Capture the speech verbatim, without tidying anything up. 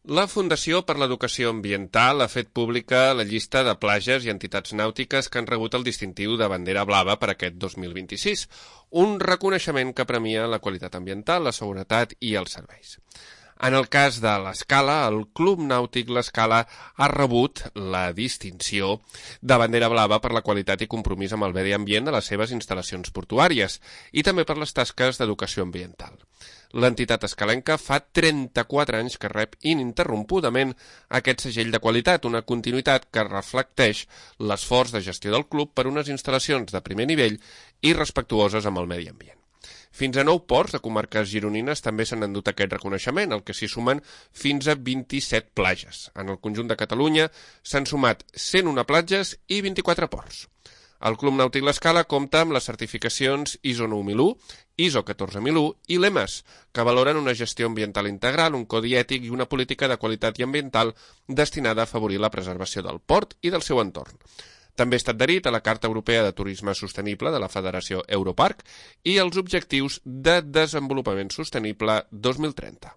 La Fundació per l'Educació Ambiental ha fet pública la llista de platges i entitats nàutiques que han rebut el distintiu de bandera blava per aquest dos mil vint-i-sis, un reconeixement que premia la qualitat ambiental, la seguretat i els serveis. En el cas de l'Escala, el Club Nàutic l'Escala ha rebut la distinció de bandera blava per la qualitat i compromís amb el medi ambient de les seves instal·lacions portuàries i també per les tasques d'educació ambiental. L'entitat escalenca fa trenta-quatre anys que rep ininterrompudament aquest segell de qualitat, una continuïtat que reflecteix l'esforç de gestió del club per unes instal·lacions de primer nivell i respectuoses amb el medi ambient. Fins a nou ports de comarques gironines també s'han endut aquest reconeixement, el que s'hi sumen fins a vint-i-set platges. En el conjunt de Catalunya s'han sumat cent una platges i vint-i-quatre ports. El Club Nàutic l'Escala compta amb les certificacions I S O nou mil u, I S O catorze mil u i l'E M A S, que valoren una gestió ambiental integral, un codi ètic i una política de qualitat i ambiental destinada a afavorir la preservació del port i del seu entorn. També està adherit a la Carta Europea de Turisme Sostenible de la Federació Europarc i els Objectius de Desenvolupament Sostenible dos mil trenta.